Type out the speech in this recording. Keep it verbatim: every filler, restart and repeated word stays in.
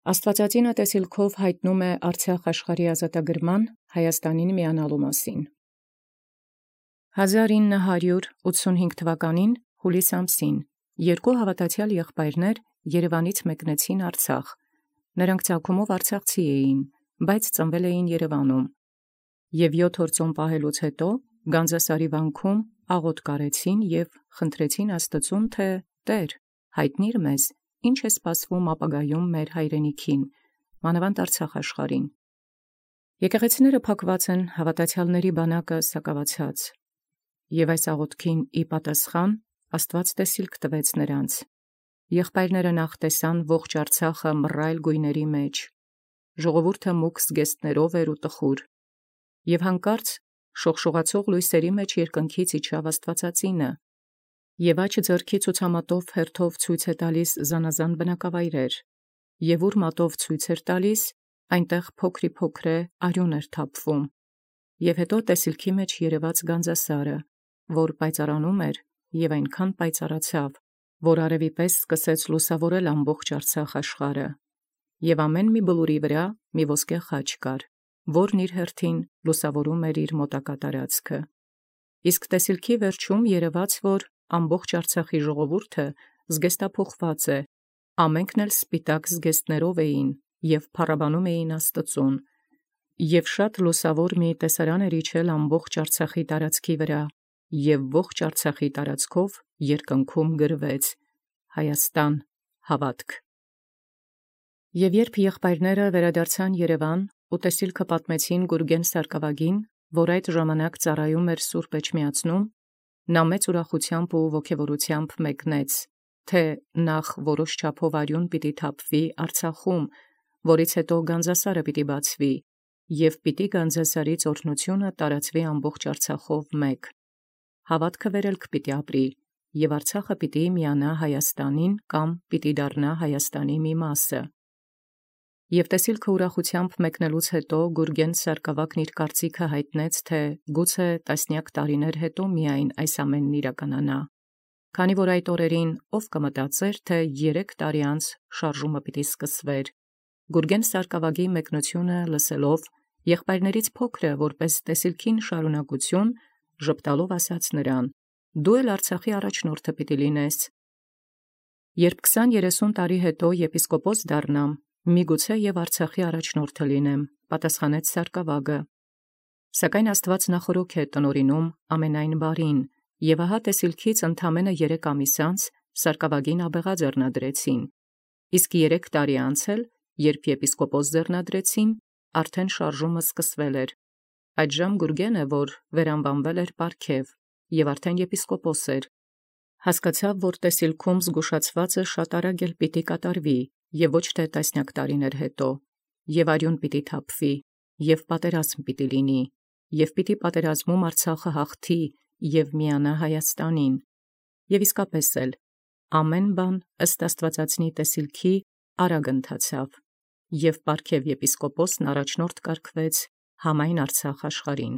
Աստուածածինը տեսիլքով յայտնում է Արցախ աշխարհի ազատագրման Հայաստանին միանալու մասին։ հազար ինը հարյուր ութսունհինգ թվականին հուլիս ամսին երկու հաւատացեալ եղբայրներ Երևանից մեկնեցին Արցախ։ Նրանք ծագումով արցախցի էին, բայց ծնվել էին Երևանում։ Եւ յոթ օր ծոմ պահելուց հետո Գանձասարի վանքում աղոթք կարեցին եւ խնդրեցին Աստծուն, թէ «Տէր, յայտնի՛ր մեզ, ինչ է սպասվում ապագայում մեր հայրենիքին, մանավանդ Արցախ աշխարհին»։ Եկեղեցիները փակված են, հաւատացեալների բանակը սակաւացած։ Եւ այս աղոթքին ի պատասխան Աստուած տեսիլք տվեց նրանց։ Եղբայրները նախ տեսան ողջ Արցախը մռայլ գույների մեջ, ժողովուրդը մուգ զգեստներով էր ու տխուր, եւ հանկարծ շողշողացող լույսերի մեջ երկնքից իջավ Աստուածածինը, եւ աջ ձեռքի ցուցամատով հերթով ցույց է տալիս զանազան բնակավայրեր, եւ ուր մատով ցույց էր տալիս, այնտեղ փոքրիփոքրե արյուն էր թափվում, եւ հետո տեսիլքի մեջ երևաց Գանձասարը, որ պայծառանում էր եւ այնքան պայծառացավ, որ արևի պես սկսեց լուսավորել ամբողջ Արցախ աշխարհը, եւ ամեն մի բլուրի վրա մի ոսկե խաչ կար, որն իր հերթին լուսավորում էր իր մոտակա տարածքը։ Իսկ տեսիլքի վերջում երևաց, որ ամբողջ Արցախի ժողովուրդը զգեստափոխված է, ամենքն էլ սպիտակ զգեստներով էին եւ փառաբանում էին Աստծուն, եւ շատ լուսավոր մի տեսարան էր իջել ամբողջ Արցախի տարածքի վրա, եւ ողջ Արցախի տարածքով երկնքում գրվեց. Հայաստան, հաւատք։ Եւ երբ եղբայրները վերադարձան Երևան ու տեսիլքը պատմեցին Գուրգեն Սարգսակին, որ այդ ժամանակ ծառայում էր Սուրբ Էջմիածնում, նա մեծ ուրախութեամբ ու ոգևորութեամբ մեկնեց, թէ նախ որոշ չափով արյուն պիտի թափվի Արցախում, որից հետո Գանձասարը պիտի բացվի, եւ պիտի Գանձասարից օրհնութիւնը տարածվի ամբողջ Արցախով մեկ։ Հաւատքը վերելք պիտի ապրի, եւ Արցախը պիտի միանա Հայաստանին կամ պիտի դառնա Հայաստանի մի մասը։ Եւ տեսիլքը ուրախութեամբ մեկնելուց հետո Գուրգեն Սարգսակն իր կարծիքը հայտնեց, թէ գուցե տասնյակ տարիներ հետո միայն այս ամենն իրականանա, քանի որ այդ օրերին ով կմտածեր, թէ երեք տարի անց շարժումը պիտի սկսվեր։ Գուրգեն Սարգսակի մեկնութիւնը լսելով, եղբայրներից փոքրը, որպես տեսիլքին շարունակություն, ժպտալով ասաց նրան. «Դու էլ Արցախի առաջնորդը պիտի լինես»։ Երբ քսան երեսուն տարի հետո եպիսկոպոս դառնամ, միգուցե եւ Արցախի առաջնորդը լինեմ, պատասխանեց Սարգսակը։ Սակայն Աստուած նախորոք է տնօրինում ամենայն բարին, եւ ահա տեսիլքից ընդամենը երեք ամիս անց Սարգսակին աբեղա ձեռնադրեցին, իսկ երեք տարի անց էլ, երբ եպիսկոպոս ձեռնադրեցին, արդեն շարժումը սկսվել էր։ Այդժամ Գուրգենը, որ վերանվանվել էր պարգև, եւ արդեն եպիսկոպոս էր, հասկացավ, որ տեսիլքում զգուշացվածը շատ արագ էլ պիտի կատարվի, եւ ոչ թե տասնյակ տարիներ հետո, եւ արյուն պիտի թափվի, եւ պատերազմ պիտի լինի, եւ պիտի պատերազմում Արցախը հաղթի եւ միանա Հայաստանին։ Եւ իսկապես էլ ամեն բան ըստ Աստուածածնի տեսիլքի արագ ընթացավ, եւ պարգև եպիսկոպոսն առաջնորդ կարգվեց համայն Արցախ աշխարհին։